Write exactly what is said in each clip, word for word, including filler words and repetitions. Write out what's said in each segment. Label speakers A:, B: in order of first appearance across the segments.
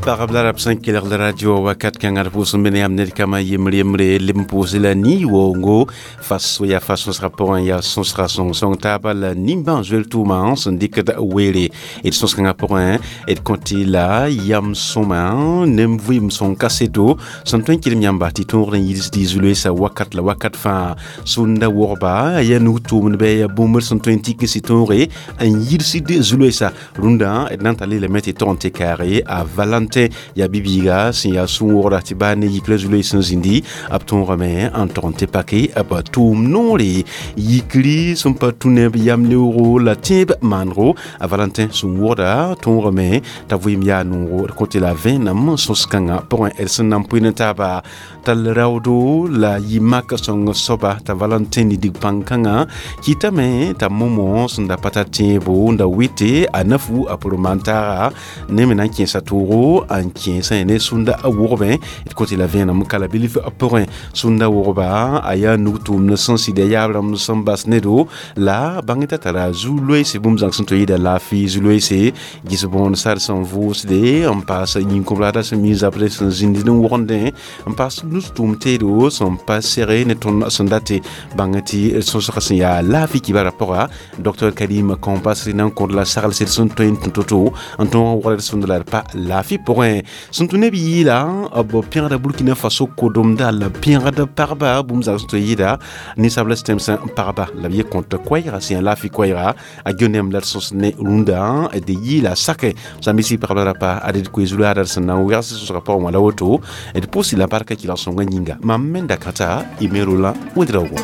A: Pagb la rab sẽn kelgd radio wakat kãngã d pʋʋs n be ne yãmb ned kama yembre yembre leb n pʋʋs la ni-woongo fas yaa fa sõsgã pʋgẽ yaa sõsga sõng-sõng taaba la nimbãan zoel tʋʋmã sẽn dɩkd weere d sõs-kãngã pʋgẽ d kõt la yam sõma ne vɩɩm sõng kaseto sẽn tõe n kɩdem yãmba tɩ tõogd n yids dɩ zu-loeesa wakat la wakat fãa sũnda wogba yaa nug tʋʋmdbɛ yaa bũmb sẽn tõe n tik n sɩ tõoge n yidsd zu-loeesa rũndã d na n tar lelame tɩ tog n tɩ kaage a Valentin ya bibiiga sẽn yaa sũ-wogda tɩ baa ne yikra zu-loees sẽn zĩndi b tõogame n tog n tɩ pake b tʋʋm noore yikri sẽn pa tũ neb yam leoogo la tẽeb maanego a Valentin sẽn wogda tõogame t'a vɩɩm yaa noogo d kõt la vẽenem sõs-kãngã pʋgẽ d sẽn na n pʋɩ ne taaba tall raoodo la yɩ-mak sõng soaba t'a Valentin nidig pãn-kãngã kɩtame t'a momo sẽn da pa tar tẽebo n da wɩte a nafu a pʋr maan-taaga ne me na n kẽesa toogo n kẽesã ne sũnda wogbe d kõt la vẽenem kala bilf pʋgẽ sũnda wogba a yaa nug tʋʋmd sẽn sɩda yaab rãmb sẽn bas nedo la bãng t'a tara zu-loeese bũmb zãng sẽn tɩ yɩɩda laafɩ zu-loeese gɩs bõond sar sẽn vʋʋsde n paas yĩn-kõbraada sẽn mi zabrẽ sẽn zĩnd n wogende n paas nus-tʋʋm teedo sẽn pa sege ne tõnd sẽn date bãng tɩ sõsg sẽn yaa laafɩ kibara pʋga Docteur Karim Kompasri na n kõd la saglsd sẽn tõe n tũ to-to n tõog n wogd sũnd la d pa laafɩ pʋgẽ sẽn tũ neb yɩɩla b pẽgda Burkina Faso kodomda la pẽgd pagba bũmb zãng sẽn tɩ yɩɩda ninsabla tẽmsã n pagba la b ye kõt koɛɛga sẽn yaa laafɩ koɛɛga a geo-nemb la d sõs ne rũndã d yɩɩla sake zãmbisi pagb la rapa ad d koe zu-laadã sẽn na n wɛgs sõsgã pʋgẽ wã la woto d pʋʋs la barka kɩlg sõngã yĩnga mam me n da kãta y me Roland Ouédraogo.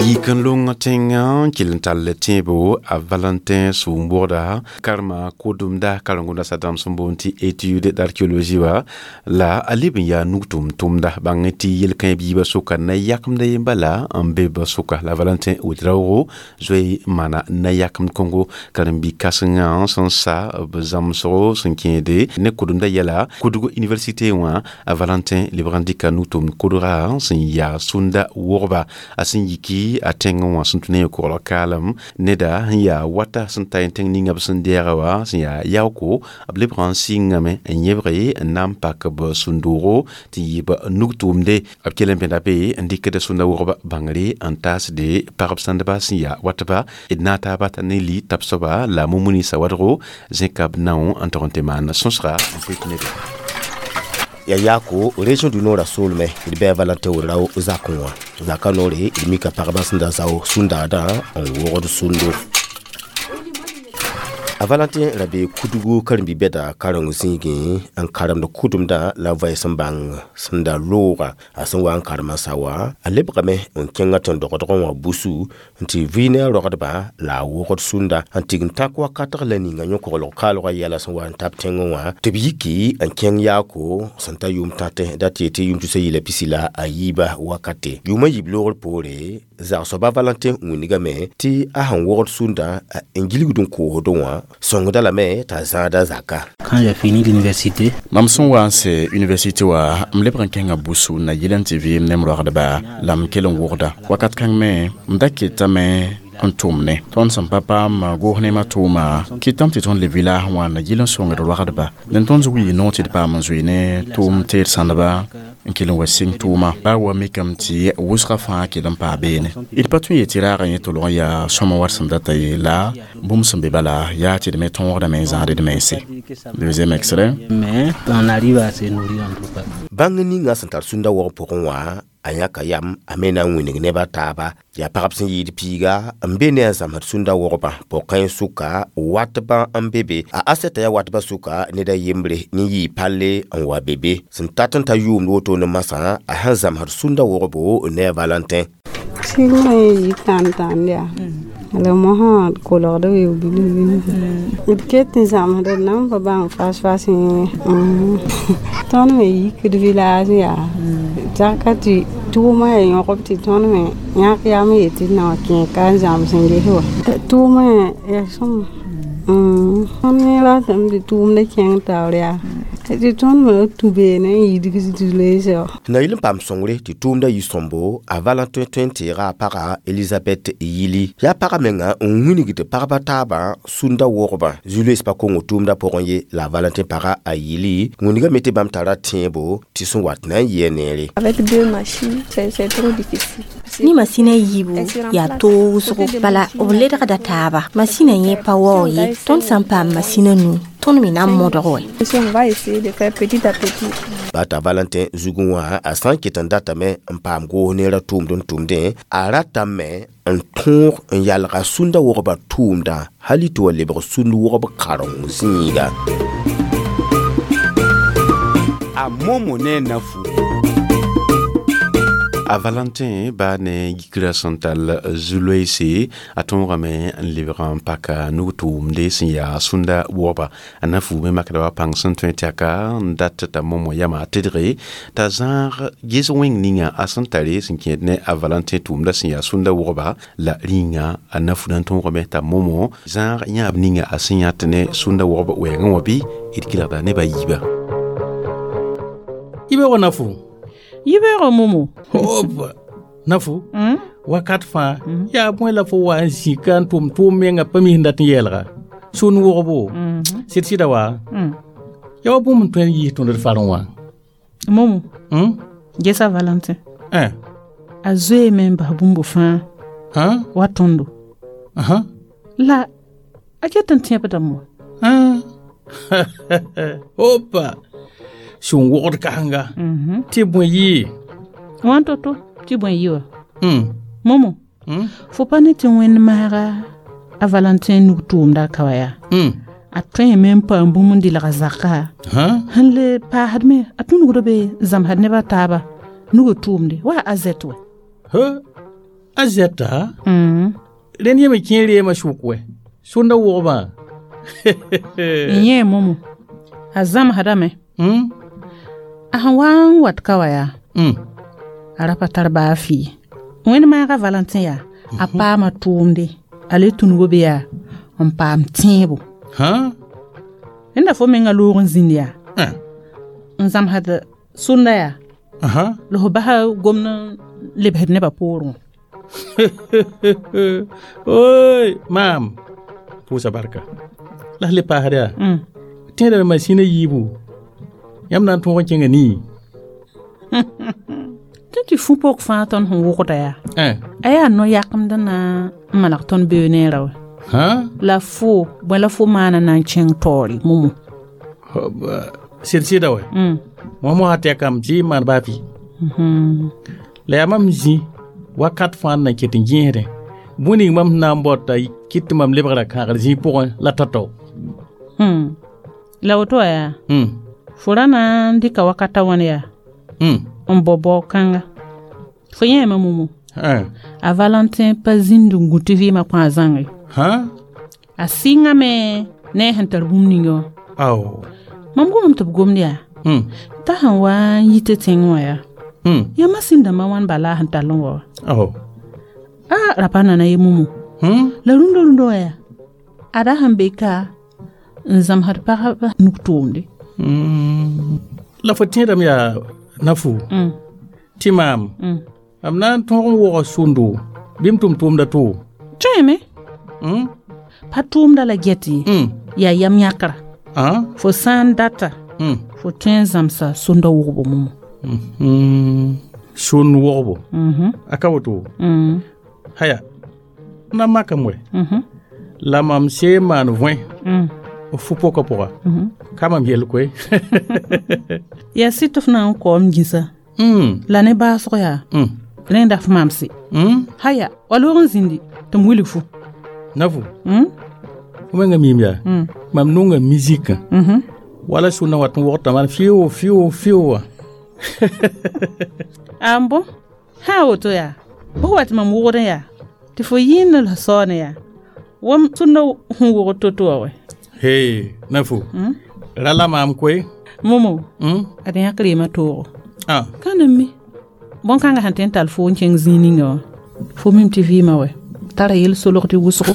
A: Yik n long tẽngã n kell n tall tẽebo a Valentin sũur-bogda karema kodomda karen-gomda sadãmb sẽn boond tɩ étude d'archéologie wa la a leb n yaa nug tʋm-tʋmda bãng tɩ yel-kãe biibã sʋka na yakemda ye bala n be ba sʋka la Valentin Ouédraogo zoe maana na yakemd kõngo karen-bi-kãsengã sẽn sa b zãmsgo sẽn kẽede ne kodomda yɛla Koudougou université wã a Valentin lebg n dɩka nug tʋmd kodga sẽn yaa sũnda wogba a sẽn yiki a tẽngẽ wã sẽn tũ ne koglg kaalem neda sẽn yaa wata sẽn ta tẽng ninga b sẽn dɛɛga wã sẽn yaa yaooko b lebg n sɩngame n yẽbge n na n pak b sũn-doogo tɩ yɩ b nug tʋʋmde b kell n bẽda be n dɩkd sũnda wogba bãngre n taasde pagb sãndba sẽn yaa watba d na n taaba t'a ne li tab soaba la Mumuni Sawadogo zẽka b nao n tog n tɩ maan sõsga n pʋɩt nebe.
B: Ya yako région du Nord a solme d bɩ a Valentin Ouédraogo zakẽ wã zaka noore d mika pagba sẽn da zao sũndaadã n wogd sũndo. A Valentin ra be Koudougou karen-bi-bɛda kareng zĩigẽ n karemd kʋdemdã la vɛɛs n bãng sẽn da looga a sẽn wa n karem n sa wa a lebgame n kẽngã tẽn-dogdgẽ wã busu n tɩ vɩ ne a rogdba la a wogd sũnda n tig n tãk wakatg la ninga yõ-koglg kaalgã yɛla sẽn wa n tab tẽngẽ wã tɩ b yiki n kẽng yaako sẽn ta yʋʋm tãtẽ da tɩ yetɩ yʋʋm tusa yɩla pisi la a yiiba wakate yʋʋmã yiib loogr poore zagsoaba Valentin wĩnigame tɩ a sẽn wogd sũndã n gilgd n koosdẽ wã sõngda lame t'a zãada zaka.
C: Quand j'ai fini l'université,
D: mam sẽn wa n se université wa m lebg n kẽnga busu na yɩl n tɩ vɩɩm ne m rogdba la m kell n wogda wakat kãng me m da ketame n tʋm ne tõnd sẽn pa paam goos nemã tʋʋma kɩtame tɩ tõnd le village wã na yɩl n sõngd rogdba dẽn tõnd wii noog tɩ d paam n zoe ne tʋʋm teed sãndba n kell n wa sɩng tʋʋma baa wa mikame tɩ wʋsgã fãa kell n paa beene d pa tõe n yetɩ raagã yẽ tolg n yaa sõma wat sẽn data ye la bũmb sẽn be bala yaa tɩ d me tõogdame n zãad d mense. Deuxième extrait.
C: Mais on arrive à se nourrir en tout cas.
B: Bãng ninga sẽn tar sũnda wog pʋgẽ wã a yãka yam a me na n wĩnig neb a taaba yaa pagb sẽn yɩɩd piiga n be ne a zãmsd sũnda wogba pʋg-kãens sʋka watbã n be be a asɛta yaa watbã sʋka ned a yembre ne yɩɩ palle n wa be be sẽn tat n ta yʋʋmd woto ne masã a sẽn zãmsd sũnda wogbo ne a Valentin.
E: Sɩgmã yɩ tãn-tãnd yaa la mosã kolgd wee bilf bilf d ket n zãmsd d nan pa bãng fas-fas yẽ tõnd me yikd village yaa zaka tɩ tʋʋmã yaa yõgb tɩ tõnd me yãk yam n yetɩ d na wa kẽ ka n zãms n ges wa tʋʋmã yaa sõma tõnd me ratame tɩ tʋʋmda kẽng taoor yaa Tɩ tõnd me tũ beene n yidg zu-loeesã wã.
B: Na yɩl n paam sõngre tɩ tʋʋmda yɩ sõmbo a Valentin tõe n teega a paga Elizabeth yili yaa paga menga n wilgd pagba taabã sũnda wogba zu-loees pa kongo tʋʋmda pʋgẽ ye la a Valentin paga a yili wĩnigame tɩ bãmb tara tẽebo tɩ sẽn wat na n yɩa neere.
F: Avec deux machines, c'est c'est trop difficile.
G: Ni masina yiibu yaa toog wʋsgo bala b ledgda taaba masina yẽ pa waoog ye tõnd sã n paam masina nu tõnd me na n modg wɛ.
F: Si on va essayer de faire petit à petit.
B: Bata Valentin zugẽ wã a sã n ket n datame n paam goos neerã tʋʋmd n tʋmdẽ a ratame n tõog n yalga sũnda wogba tʋʋmdã hali tɩ wa lebg sũnd wogb karen zĩiga.
A: A Momo ne Nafu. A Valentin ba ne yikra sẽn tall zu-loeese a tõogame n lebg n paka nug-tʋʋmde sẽn yaa sũnda wogba a na fu me makda wa pãng sẽn tõe tɩ aka n dat t'a Momo yama a tedge t'a zãag ges wẽng ninga a sẽn tare sẽn kẽed ne a Valentin tʋʋmda sẽn yaa sũnda wogba la rĩnga a na fu na n tõogame t'a Momo zãag yãab ninga a sẽn yãt ne sũnda wogb wɛɛngẽ wã bɩ d kelgda nebã yiiba.
H: Yibeoogã Nafu.
I: Yibeoogã Momo.
H: Hop Nafu. Wakat fãa yaa bõe la fo wa n zĩka n tʋm tʋʋm menga pa mis n dat n yɛɛlga sũn wogbo sɩd sɩda wa yaa wa bũmb n tõe n yiis tõnd d farẽ wã.
I: Momo. Gesa Valentin.
H: Eh.
I: A zoeeme n bas bũmb fãa wa tõndo. La a ket n tẽebdame wa.
H: Hopa sũn wogd kãsenga tɩ bõe yɩɩ.
I: Wãn to-to tɩ bõe yɩ wa. Momo. Fo pa ne tɩ wẽnd maaga a Valentin nug tʋʋmda a ka wa yaa. A tõeme n paam bũmb n dɩlga zaka sẽn le paasd me a tũnugd be zãmsd nebã taaba nugã tʋʋmde wa a zɛt wɛ.
H: A zɛta rẽnd yẽ me kẽer reemã sʋk wɛ sũnda wogmã.
I: N yẽ Momo a zãmsdame a sẽn wa n wat ka wa yaa a ra pa tar baa fɩɩ wẽnd maaga Valentin yaa a paama tʋʋmde a le tũnugo be yaa n paam tẽebo. Rẽnda fo menga loog n zĩnd yaa n zãmsd sũnda yaa la fo basa gomd n lebsd nebã poorẽ wã.
H: Oy maam pʋʋsa barka la s le paasd yaa tẽedame masĩnã yiibu yãmb na n tõog n kẽnga nii.
I: Tɩ tɩ fu pok fãa tõnd sẽn wʋgda yaa a yaa no-yakemd na n maneg tõnd beoog neerã wɛ. La fo bõe la fo maana na n kẽng taoore Momo.
H: Sɩd sɩda wɛ mosã tɛkame tɩ maan baa fɩ la yaa mam zĩ wakat fãa n na ket n gẽesdẽ bũmb ning mam sẽn na n baood t'a kɩt tɩ mam lebgra kãagr zĩig pʋgẽ la tao-tao.
I: La woto wã yaa fo ra na n dɩka wakata wãn yaa n bao baoog-kãnga fo yẽeme Momo a Valentin pa zĩnd n gũ tɩ vɩɩmã kõ a zãnge a sɩngame ne a sẽn tar bũmb ninga wã. Mam gomame tɩ b gomd yaa t'a sẽn wa n yi tɩ tẽng wã yaa yaa masĩn dãmbã wãn bala a sẽn tall n wa wa a ra pa nana ye Momo la rũndã rũndã wã yaa ada sẽn be ka n zãmsd pagba nug tʋʋmde.
H: La fo tẽedame yaa Nafu tɩ maam mam na n tõog n woga sũndo bɩ m tʋm tʋʋmda to.
I: Tõeme pa tʋʋmda la get ye yaa yam yãkra fo sã n data fo tõe n zãmsa sũnda wogbo Momo.
H: Sũnd wogbo a ka woto haya na makame wɛ la mam see n maan võe f fu-pokã pʋga ka mam yell koe.
I: Yaa sɩd tɩ f na n kaoom gĩsa la ne baasg yaa rẽnda f maamse haya wa loog n zĩndi tɩ m wilg fo.
H: Nafu fo menga miim yaa mam nonga mizikã wala sũnã wat n wogtã maan fɩʋ fɩʋ fɩʋ wã.
I: A n bõ sã a woto yaa bõs wa tɩ mam wogdẽ yaa tɩ fo yĩnd la saoone yaa wam sũnda sẽn wogd to-to wã wɛ.
H: He Nafu ra la maam koe.
I: Momo ad yãk reemã toogo
H: ah
I: ka n mi bõn-kãngã sẽn tõe n tall fo n kẽng zĩig ninga wã fo mim tɩ vɩɩmã wɛ tara yel solgd wʋsgo.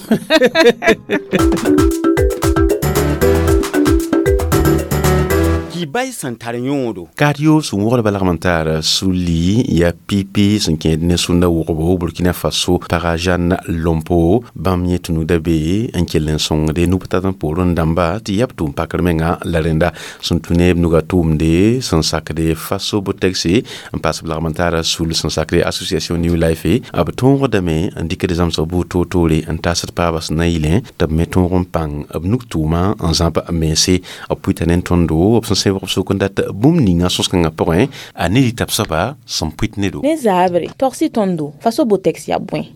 B: Kibay sẽn tar yõodo.
A: Kario sẽn wogdba lagm n tar suli yaa pipi sẽn kẽed ne sũnda wʋgbo Burkina Faso paga Jeanne Lompo bãmb yẽ tɩ nuda be n kell n sõngde nub-tat n poorẽ dãmba tɩ yaa b tʋʋm pakr menga la rẽnda sẽn tũ ne b nuga tʋʋmde sẽn sakde Faso Botex n paas b lagm n tar sul sẽn sakde Association New Life b tõogdame n dɩkd zãmsg buud toor-toore n taasd paabã sẽn na n yɩlẽ tɩ b me tõog n pãng b nug tʋʋma n zãb mense b pʋɩta ne tõndo b sẽn sẽbg b sʋk n dat bũmb ninga sõs-kãngã pʋgẽ a ne rɩta b soaba sẽn pʋɩt ne do.
J: Ne zaabre togsi tõndo Faso Botex yaa bõe?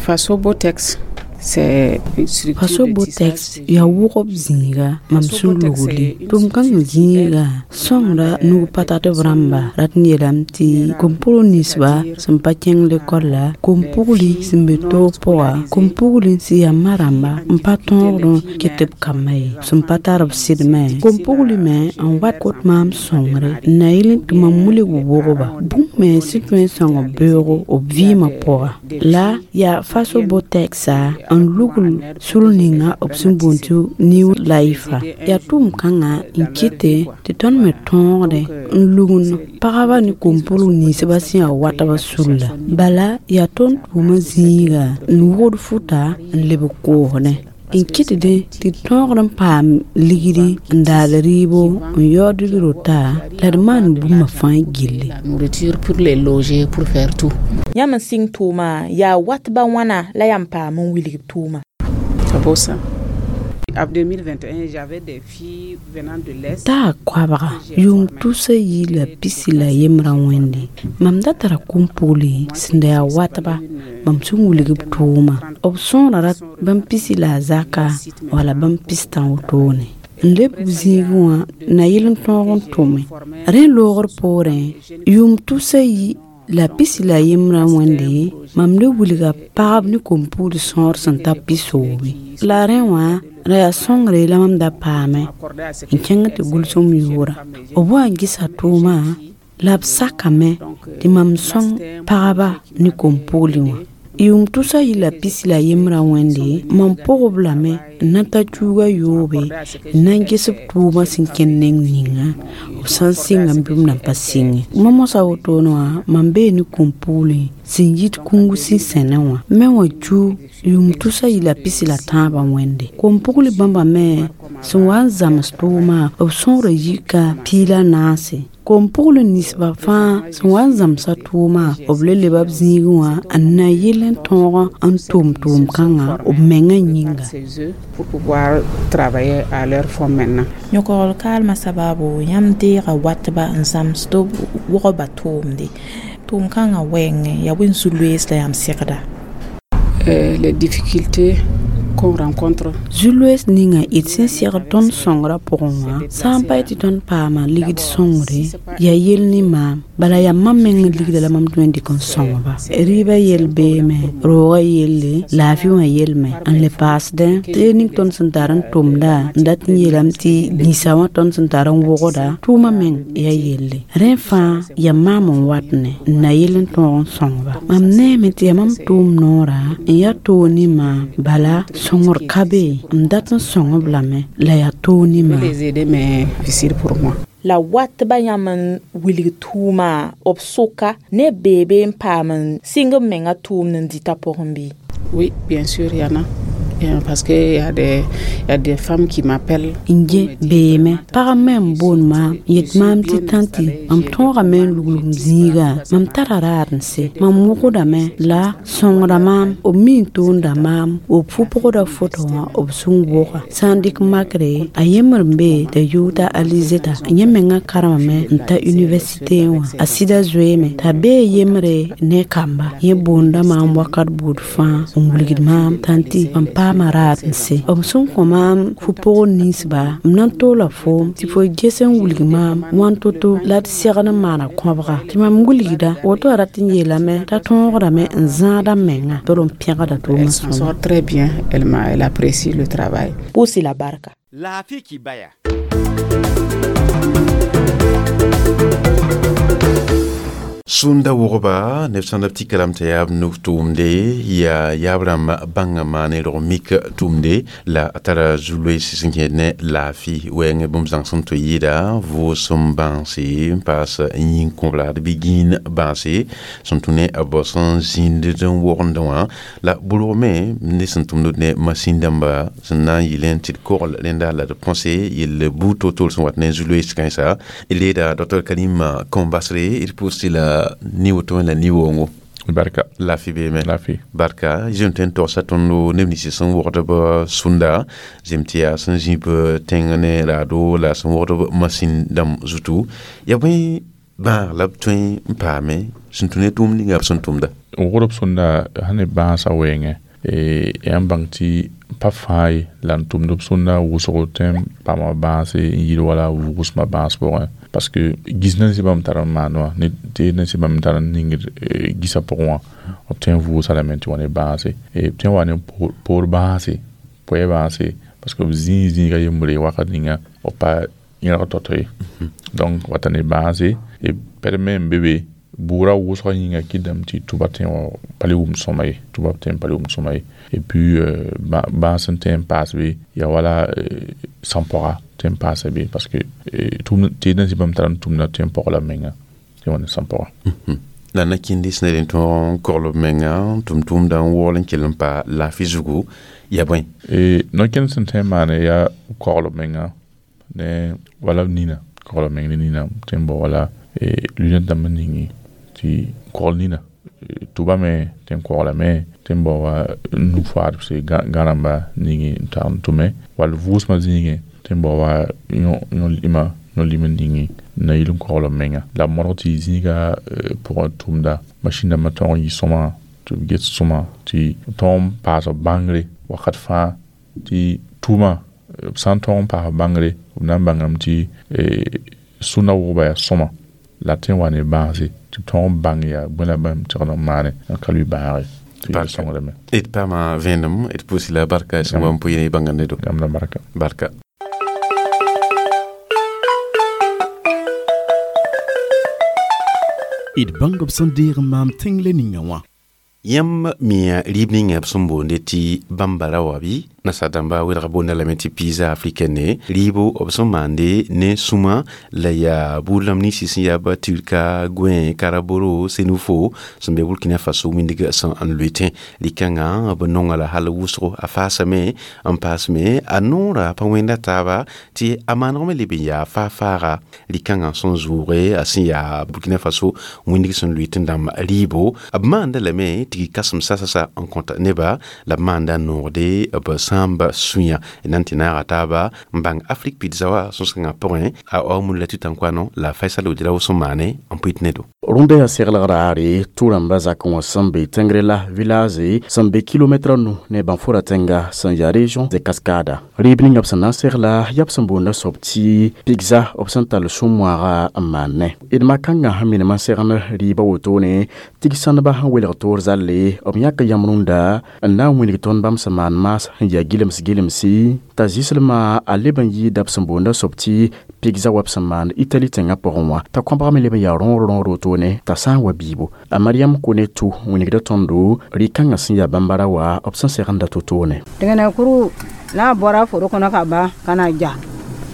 K: Faso Botex.
E: Faso Botex yaa wʋgb zĩiga mam sẽn lugli tʋm-kãngã zĩiga sõngra nug pa tat b rãmba rat n yeelame tɩ kom-pugl ninsba sẽn pa kẽng lekol la kom-pugli sẽn be toog pʋga kom-pugli sẽn yaa ma rãmba n pa tõogd n ket b kambã ye sẽn pa tar b sɩdmẽ kom-pugli me n wat kot maam sõngre n na yɩl tɩ mam wilg wʋgba bũmb me sẽn tõe n sõng b beoogo b vɩɩmã pʋga la yaa Faso Botexa n lugl sul ninga b sẽn boond tɩ New Life yaa tʋʋm-kãngã n kɩte tɩ tõnd me tõogde n lugnd pagba ne kom-pʋlg ninsbã sẽn yaa watba sulla bala yaa tõnd tʋʋmã zĩiga n wʋgd futa n lebg koosdẽ n kɩtdẽ tɩ tõogd n paam ligdi n daal rɩɩbo n yaood d rota la d maan bũmba fãa gilli.
K: Nourriture pour les loger, pour faire tout.
J: Yãmb n sɩng tʋʋma yaa watba wãna la yãmb paam n wilg b tʋʋma?
K: Bosa. En deux mille vingt et un, j'avais des filles venant de l'Est.
E: Taa koabga yʋʋm tusa yi la pisi la yembrã wẽnde mam da tara kom-pugli sẽn da yaa watba mam sẽn wilg b tʋʋma b sõora rat bãmb pisi la a zaka wala bãmb pistã wotone n leb b zĩigẽ wã na yɩl n tõog n tʋme rẽ loogr poorẽ yʋʋm tusa yi la pisi la yembrã wẽnde mam le wilga pagb ne kom-pugl sõor sẽn ta pisoobe la rẽ wã ra yaa sõngre la mam da paame n kẽng tɩ gʋlsem yʋʋra b wa n gɩsa tʋʋma la b sakame tɩ mam sõng pagba ne kom-pugli wã yʋʋm tʋsa yɩ la pisi la yembrã wẽnde mam pʋgb lame n na ta tuuga yoobe n na n ges b tʋʋmã sẽn kẽnd neng ninga b sã n sɩnga bɩ b nan pa sɩnge ma mosã wotone wã mam bee ne kom-pugli sẽn yit kũngu sẽn sẽnẽ wã me wã cu yʋʋm tʋsa yɩ la pisi la tãabã wẽnde kom-pugli bãmba me sẽn wa n zãms tʋʋmã b sõora yika pii la naase kom-pugl ninsbã fãa sẽn wa n zãmsa tʋʋmã b le leba b zĩigẽ wã n na yɩl n tõog n tʋm tʋʋm-kãngã b mengã yĩnga.
K: Pour pouvoir travailler à leur fond maintenant.
J: Yõkogl kaalmã sabaabo yãmb deega watba n zãmsd b wʋgba tʋʋmde tʋʋm-kãngã wɛɛngẽ yaa bõe zu-loees la yãmb segda?
K: Les difficultés qu'on rencontre.
E: Zu-loees ninga d sẽn segd tõnd sõngrã pʋgẽ wã sã n pa tɩ tõnd paama ligd sõngre yaa yell ne maam bala yaa mam meng ligda la mam tõe n dɩk n sõngba rɩɩbã yell beeme roogã yelle laafɩ wã yelme n le paasdẽ tɩ ning tõnd sẽn tar n tʋmda n dat n yeelame tɩ nĩsa wã tõnd sẽn tar n wʋgda tʋʋmã meng yaa yelle rẽ fãa yaa maam n wat ne n na yell n tõog n sõngba mam neeme tɩ yaa mam tʋʋm noorã n yaa toog ne maam bala sõngr ka be n dat n sõng b lame la yaa toog ne maam.
J: La watba yãmb n wilg tʋʋma b sʋka ne beebe n paam n sɩng b menga tʋʋmd n dɩta pʋgẽ bɩ?
K: Oui, bien sûr, il y en a. Parce que y a des y a des femmes qui m'appellent.
E: Nje beeme pagã me n boond maam n yet maam tɩ tãnti mam tõogame n luglg m zĩiga mam tara raad n se mam wʋgdame la sõngra maam b mi n toonda maam b fu-pʋgda foto wã b sẽn wʋga sã n dɩk makre a yembr n be t'a yʋʋda Alizeta yẽ mengã karemame n ta université wã a sɩda zoeeme t'a bee yembre ne kamba yẽ boonda maam wakat buud fãa n wilgd maam tãnti mam paama raad n se b sẽn kõ maam fu-pʋgd ninsba m na n toola foom tɩ fo ges n wilg maam wãn to-to la d segd n maana kõbga tɩ mam wilgda woto a rat n yeelame t'a tõogdame n zãada menga tɩ n pẽgda tʋʋmã
K: Elle s'en sort très bien, elle m'a elle apprécie le travail.
J: Pʋʋs-y la barka.
B: Laafɩ kibaya.
A: Sũnda wʋgba neb sãn b tɩ kalam t'a yaa b nug tʋʋmde yaa yaab rãmb bãnga maane rog mik tʋʋmde la a tara zu-loees sẽn kẽed ne laafɩ wɛɛngẽ bũmb zãng sẽn tɩ yɩɩda vʋʋsem bãanse n paas yĩn-kõblad bɩ gĩin bãase sẽn tũ ne b sẽn zĩnd n wogend wã la bʋrg me ne sẽn tʋmd ne masin dãmba sẽn na n yɩl n tɩ d kogl rẽnda la d põse yell buud toor-toor sẽn wat ne zu-loees kãensa d leeda docteur Karim Kɔmbasre d pʋʋs tɩ la ni woto la ni woongo.
L: Barka.
A: Lafi beeme.
L: Lafi.
A: Barka zem tõe n togsa tõndo neb nins sẽn wogd b sũnda zem tɩ yaa sẽn zĩb tẽng ne raado la sẽn wogd b masin dãmb zutu ya bõe bãag la b tõe n paame sẽn tũ ne tʋʋm ninga b sẽn tʋmda.
L: Wogd b sũnda sãn ne bãasã wɛɛngẽ yaa n bãng tɩ pa fãa ye la n tʋmd b sũnda wʋsgo tõe n paama bãase n yɩl wala vʋʋsmã bãas pʋgẽ parce que gis nan sɩ bãmb tar n maan wã ne teed nan sɩ bãmb tar n ningd gisã pʋgẽ wã b tõe n vʋʋsa lame tɩ wa ne bãase b tõe n wa ne poor bãase poɛ bãase parce que b zĩig zĩiga yembre wakat ninga b pa yẽrg tao-tao ye donc wata ne bãase b permet n be be buurã wʋsgã yĩnga kɩdame tɩ tʋba tõe n wa pa le wʋm sõma ye tʋba tõe n pa le wʋm sõma ye et puis bãas n tõe n paas be yaa wala sãn-pɔga tõe n paasa be parce que teed n zĩ bãmb tar n tʋmda tõe n pɔg la menga tɩ wa ne sãn-pɔga.
A: La na-kĩndi sẽn d tõog n kogl b menga n tʋm tʋʋmdã n waool n kell n pa laafɩ zugu yaa bõe?
L: No-kẽnd sẽn tõe n maane yaa kogl b menga ne wala nina kogl b meng ne nina tõe n bao wala lunette dãmb n ningi tɩ kogl nina tʋba me tɩ n koglame tɩ n bao wa nu-faadbse gã rãmba ningi n tag n tʋme wall vʋʋsmã zĩigẽ tɩ n bao wa yõ-lima yõ-lim n ningi n na yɩl n kogl b menga la b modg tɩ zĩiga pʋgẽ tʋmda masin dãmbã tõog n yɩ sõma tɩ b get sõma tɩ tõog n paas b bãngre wakat fãa tɩ tʋʋmã b sã n tõog n paas b bãngre b na n bãngame tɩ sũnda wʋgba yaa sõma la tõe n wa ne bãase tɩ b tõog n bãng yaa bõe la bãmb tɩgd n maane n ka lʋɩ bãage.
A: D paama vẽenem d pʋʋs la barka sẽn wa n pʋɩ ne bãnga nedo.
L: Yãmb la barka.
A: Barka.
D: D bãng b sẽn deeg n maam tẽng le ninga wã.
A: Yãmb mia rɩɩb ninga b sẽn boonde tɩ bambara wa bɩ nasaar dãmba welga boonda lame tɩ pizza africaine rɩɩbo b sẽn maande ne sũma la yaa buud rãmb ninsi sẽn yaa ba turka gõe karaboro senufo sẽn be Burkina Faso wĩndg sẽn n loetẽ rɩ-kãngã b nonga la hal wʋsgo a faasame n paasme a noora pa wẽnda taaba tɩ a maaneg me leb n yaa faa-faaga rɩ-kãngã sẽn zʋʋge a sẽn yaa Burkina Faso wĩndg sẽn loet n dãmb rɩɩbo b maanda lame tɩ kasem sasa-sasa n kõta neba la b maanda noogde b sãamba sũyã nan tɩ naaga taaba n bãng Afrique pizza wa sõsgãngã pʋgẽ a aomun la tɩ-tãnkoano la Faisal Ouedraogo sẽn maane n pʋɩt nedo.
D: Rũndã yaa seglg raare tʋ-rãmbã zakẽ wã sẽn be tẽngre la village sẽn be kilomɛtra nu ne Bãnfora tẽnga sẽn yaa région de Cascada rɩɩb ninga b sẽn na n segla yaa b sẽn boonda soab tɩ pizza b sẽn tall sũ-moaaga n maan ne d mak-kãngã sẽn minim n segnd rɩɩbã wotone tig-sãndbã sẽn welg toor zalle b yãk yãmb rũndã n na n wilg tõnd bãmb sẽn maan maas sẽn yaa gilems gilemsi t'a zɩslmã a leb n yɩɩda b sẽn boonda soab tɩ pizza wa b sẽn maand Itali tẽngã pʋgẽ wã t'a kõbg me leb n yaa rõor rõor wotone t'a sã n wa biibo a Mariam Kone tʋ wĩnigda tõndo rɩ-kãngã sẽn yaa bambara wa b sẽn segenda to-toone.
M: Dẽgna kuru n'a bɔra foro kɔnɔ ka ban ka na ja.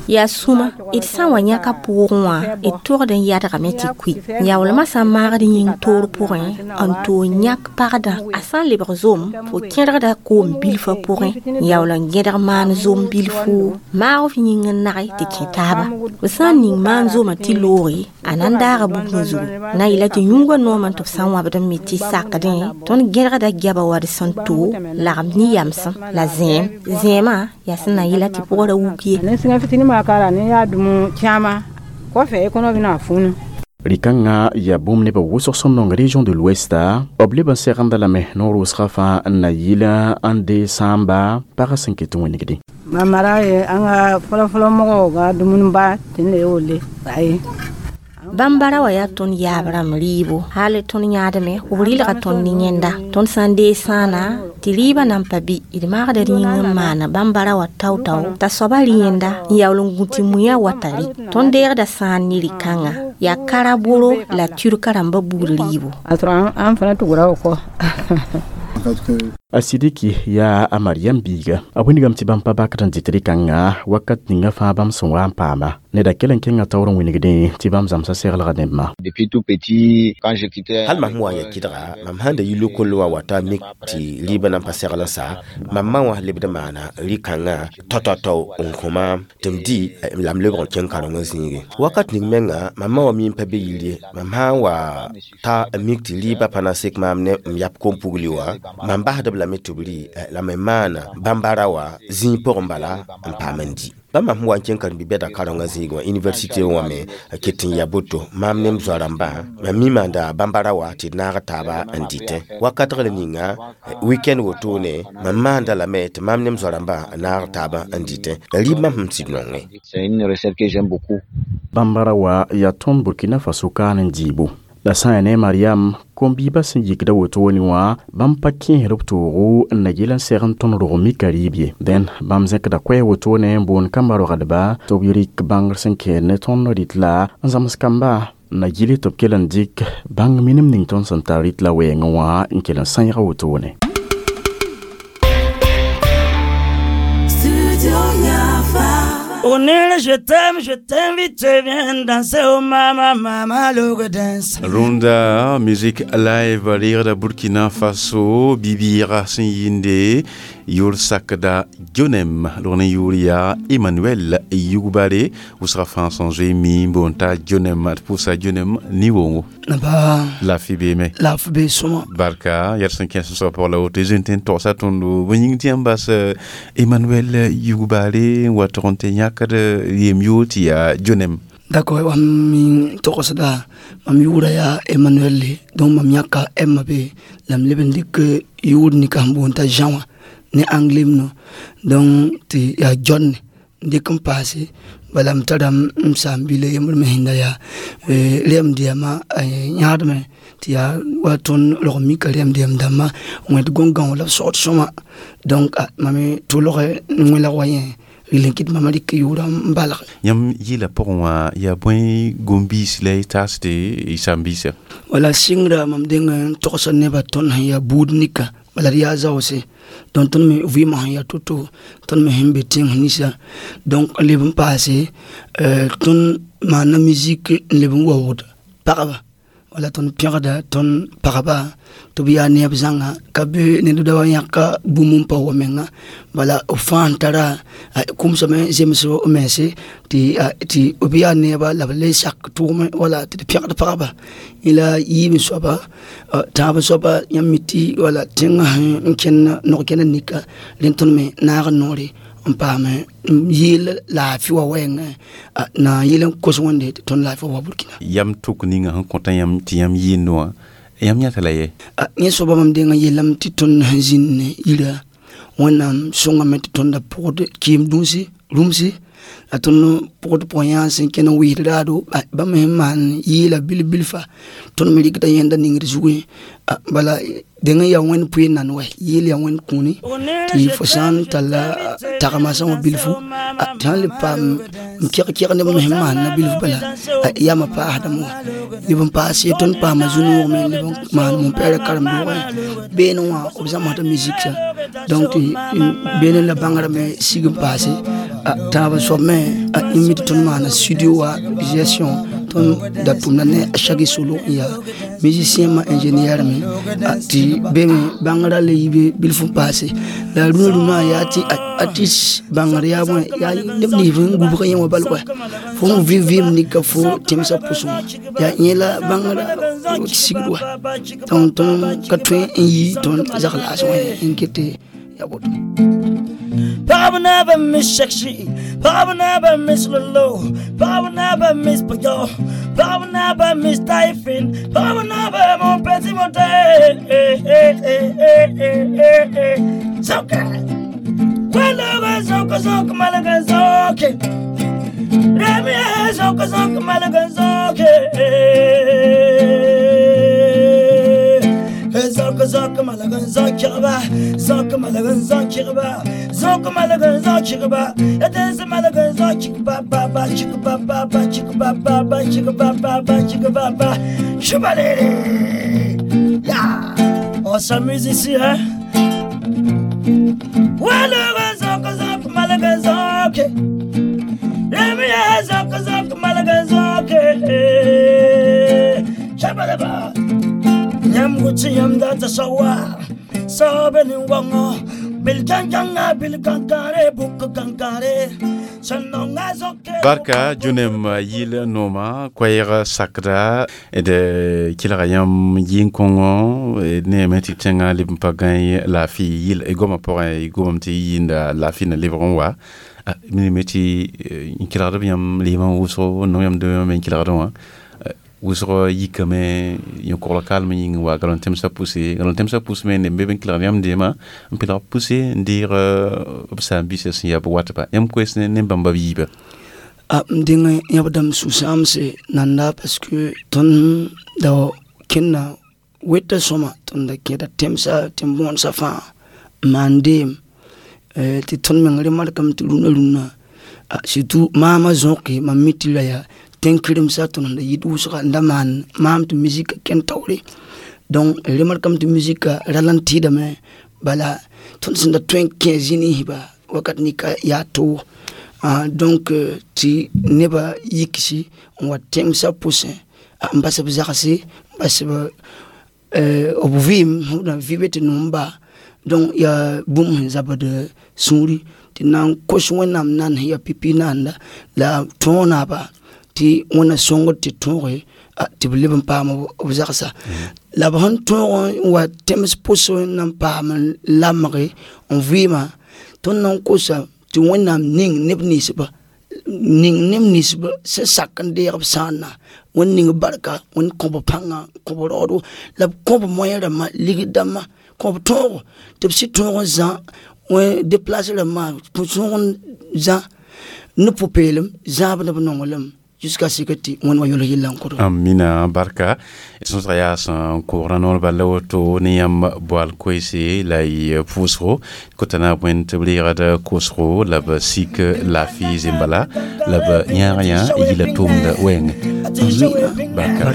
G: Yaa sũma d sã n wa yãka pʋʋgẽ wã d togd n yadgame tɩ kʋɩ yaoolmã sã n maagd yĩng toor pʋgẽ n toog yãk pagdã a sã n lebg zom fo kẽdgda koom bilfã pʋgẽ n yaool n gẽdg maan zom bilfu maag f yĩng n nage tɩ kẽ taaba b sã n ning maan zomã tɩ looge a na n daaga bugmã zugu na yɩla tɩ yũugã noomã tɩ b sã n wãbd n me tɩ sakdẽ tõnd gẽdgda goaba wa d sẽn to lagem ne yamsem la zẽem zẽemã yaa sẽn na yɩla tɩ pʋgã ra wuk ye.
M: Ni sẽngã fitini maa k'a la ni y'a dumu caman kɔfɛ i kɔnɔ bɛna funu.
D: Rɩ-kãngã yaa bũmb nebã wʋsg sẽn nong région de l'ouest b leb n segenda lame noor wʋsgã fãa n na yɩl n dee sãamba pagã sẽn ket n wĩnigdẽ.
M: Mamara ye an ka fɔlɔfɔlɔ mɔgɔw ka dumuniba ten de y'o le ayi.
G: Bãmb bara wã yaa tõnd yaab rãmb rɩɩbo hal tõnd yãadme b rɩlga tõnd ne yẽnda tõnd sã n deeg sãana tɩ rɩɩbã nan pa bɩ d maagda rĩng n maana bãmb bara wã tao-tao t'a soaba rɩ yẽnda n yaool n gũ tɩ muiã wata rɩ tõnd deegda sãan ne rɩ-kãngã yaa karaboro la turka rãmbã buud rɩɩbo.
M: An fana tugura o kɔ.
D: A Sidiki yaa a Mariam biiga a wingame tɩ bãmb pa bakd n dɩt rɩ-kãngã wakat ninga fãa bãmb sẽn wa n paama neda kell n kẽnga taoor n wingdẽ tɩ bãmb zãmsa seglga nembã.
B: Hal mam sẽn wa n ya kɩdga mam sãn da yi lokol wã wata mik tɩ rɩɩbã nan pa segl n sa mam ma wã lebd n maana rɩ-kãngã tao-tao-tao n kõ maam tɩ m dɩ la m lebg n kẽng karengã zĩige wakat ning menga mam ma wã mi n pa be yir ye mam sã n wa ta n mik tɩ rɩɩbã pa na n sek maam ne m yap kom-pugli wã mam basd b lame tɩ b rɩ la me maana bãmb-bara wã zĩig pʋgẽ bala n paam n dɩ bãmb mam sẽn wa n kẽng karen-bi-bɛda karengã zĩig wã université wã me ket n ya boto maam ne m zoa-rãmbã mam mi maanda bãmb-bara wã tɩ d naag taaba n dɩtẽ wakatgr ninga weekend wotone mam maanda lame tɩ maam ne m zoa-rãmbã n naag taaba n dɩtẽ la rɩɩb mam sẽn tɩ d nongẽ.
D: Bãmb-bara wã yaa tõnd Burkina Faso kaan n dɩɩbo la sã n yaa ne Mariam kom-biibã sẽn yikda wotone wã bãmb pa kẽesd b toogo n na yɩl n seg n tõnd rog mika rɩɩb ye dẽn bãmb zẽkda koɛɛ wotone n boond kambã rogdba tɩ b rɩk bãngr sẽn kɛɛd ne tõnd rɩt la n zãms kamba na yɩl tɩ b kell n dɩk bãng minim ning tõnd sẽn tar rɩt la wɛɛngẽ wã n kell n sãeega wotone.
N: Onel, je t'aime, je t'invite, viens danser au mama, mama, logo dance.
A: Runda, musique live, rire da Burkina Faso, Bibira Sinyinde, Yur Sakda Dionem, Lorne Yuria, Emmanuel Yubare, Ousra François Jémi, Bonta Dionem, Poussa Dionem, Niwongo.
N: Ba.
A: La F B me.
N: La F B soma.
A: Barka, yar sẽn kẽes sã pʋgã la woto zẽn tɩ n togsa tõndo bõe yĩng tɩ yãmb bas Emmanuel Yugbare n wa tog n tɩ yãkd yem yoor tɩ yaa Dionem.
N: D'accord, mam min togsda mam yʋʋra yaa Emmanuel le donc mam yãka M be la m leb n dɩk yʋʋr nika sẽn boond t'a Jean wã ne anglais no donc tɩ yaa John n dɩk n paase bala m tara m saam-bila yembr me sẽnda yaa rɛm dɛɛma yãadme tɩ yaa wa tõnd rog mika rɛm dɛɛm dãmbã wẽd gõn-gão la b sogd sõma donc mam tʋlg n wẽlg wa yẽ rɩl n kɩt mam rɩk yʋʋra n balg.
A: Yãmb yɩɩla pʋgẽ wã yaa bõe gom-biis la y taasde y saam-biisã?
N: Wala sɩngra mam deng n togsa nebã tõnd sẽn yaa buud nika bala d yaa zaoose donc tõnd me vɩɩmã sẽn yaa to-to tõnd me sẽn be tẽng ninsã donc n leb n paase tõnd maana musique n leb n waoogd pagba wala tõnd pẽgda tõnd pagba tɩ b yaa neeb zãnga ka be ned da wa yãka bũmb n pa wa menga bala b fãa n tara kʋmsame zems b mense tɩ tɩ b yaa neeba la b le sak tʋʋme wala tɩ d pẽgd pagba la yiib soaba tãab soaba yãmb mi tɩ wala tẽngã sẽn kẽnd nog-kẽnd nika rẽnd tõnd me naag n noore n paam n yeel laafɩ wa wɛɛngẽ na n yeel n kos Wẽnde tɩ tõnd laafɩ wa Burkina.
A: Yam tok ninga sẽn kõta yãmb tɩ yãmb yɩɩnd wã yãmb yãta la ye?
N: Yẽ soaba mam deng n yeelame tɩ tõnd sẽn zĩnd ne yira Wẽnnaam sõngame tɩ tõnd da pʋgd kɩɩm dũnsi rũmsi la tõnd pʋgd pʋgẽ yã sẽn kẽn n wɩɩd raado bãmb sẽn maan yɩɩla bil-bilfa tõnd me rɩkda yẽnda ningd zugẽ bala deng n yaa Wẽnd pʋɩ nan wɛ yeel yaa Wẽnd kũuni tɩ fo sã n talla tagma sã wã bilfu tɩ sãn le paam n keg keg neb me sẽn maanna bilfu bala yamã paasdame wã leb n paas ye tõnd paama zu-noog me leb n maan mon-pɛɛrã karen-doogẽ beene wã b zãmsda musique donc tɩ beene la bãngrã me sig n paase tãab n soab me yẽ mi tɩ tõnd maana studio wa gestion tõnd da tʋmda ne chaque solo n yaa musicien ma ingénieur me tɩ be me bãngrã le yi be bilf n paase la rũnã rũnã yaa tɩ artiste bãngr yaa bõe yaa neb nins n gubg yẽ wã bal wɛ fo sẽn vɩ vɩɩm nika fo tẽmsã pʋsẽ wã yaa yẽ la bãngrã sigd wa donc tõnd ka tõe n yi tõnd zag-laas wã n ket ya woto.
O: Pagab naba Miss Shakshi, Pagab naba Miss Lolo, Pagab naba Miss Payo, Pagab naba Miss Typhon, Pagab naba mon petit monté. Zoka, Wala zoka zoka malaga zoke. Remi zok zok malaga zoke Zok zok malaga zokirba Zok malaga zokirba Zok malaga zokirba Edez malaga zokirba ba ba chikba ba ba chikba ba ba chikba ba ba chikba ba Chubalere. Ya, on s'amuse ici, hein. Wala zok zok malaga zoke Remi zok zok malaga zoke Chabalaba Nyam guchi yam da ta sawa Sabe ni wango Bil kankanga bil kankare buk kankare Sanonga zoke
A: Barka junem yil noma koyra sakra de kilra yam yin kongo ne meti tenga lib pagan la fi yil e goma por e goma ti yinda la fi na livron wa mi meti kilra yam liman wuso no yam de men kilra wa wʋsg yikame yõ-kogl kalm yĩng wa gal n tẽmsã pʋse gal n tẽmsã pʋs me ne be n kelgd yãmb deemã n pɩlg pʋse n deeg b saam-biisã sẽn yaa b watba yãmb koes ne bãmba b yiiba
N: a m dẽng yãb dãmb sũ-sãamse nanda parce que tõnd da kẽnda weta sõma tõnd da kẽeda tẽmsa tẽm-bõonesã fãa n maan deem tɩ tõnd meng remarkame tɩ rũnã rũnã surtout maamã zõke mam mi tɩ ra yaa tẽn-kɩremsã tõnd da yit wʋsga n da maan maam tɩ musika kẽn taoore donc remarkame tɩ musika rala n tɩɩdame bala tõnd sẽn da tõe n kẽ zĩ-ninsba wakat nika yaa toog donc tɩ nebã yiksi n wa tẽmsã pʋsẽ n bas b zagse n bas b b vɩɩm na vɩ be tɩ nom-ba donc yaa bũmb sẽn zabd sũuri tɩ na n kos wẽnnaam nan sẽn yaa pipi naanda la tõog naaba tɩ wẽnna sõngd tɩ tõoge tɩ b leb n paam b zagsa la b sẽn tõog n wa tẽms pʋs n na n paam n lamge n vɩɩmã tõnd na n kosa tɩ wẽnnaam ning neb ninsba ning neb ninsba sẽn sak n deeg b sãanna wẽnd ning barka wẽnd kõ b pãnga kõ b raoodo la b kõ b moyen rãmbã ligd dãmbã kõ b tõogo tɩ b sɩ tõog n zã déplace rãmbã tõog n zã ne pʋ-peelem zãab ne b nonglem jusqu'à ce que tɩ wẽnd wa yʋls yella n kʋd
A: amina barka sõsga yaa sẽn kogra noor bala woto ne yãmb boal koeese la y pʋʋsgo kota na bõe tɩ b reegd kosgo la b sik laafɩ zembala la b yãag yã yila tʋʋmd wɛɛngẽ barka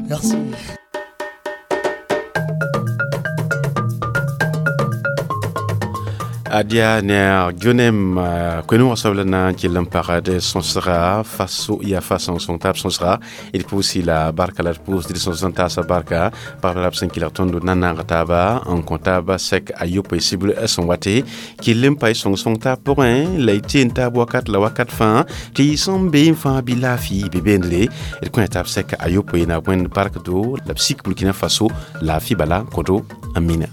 O: Merci.
A: Adia ne gyonem kwenu wasabla na kilam parade son sera faso ya façon son tab son sera il pousse la barka la pousse de son santa sa barka par la cinq kilo tondo nana rataba en comptable sec ayop cible son wate kilim pay son son tab pour un la été tab wakat la wakat fin ti son be fin bilafi bebendle il connaît tab sec ayop na wen parc do la psych Burkina Faso la fibala kodo amina.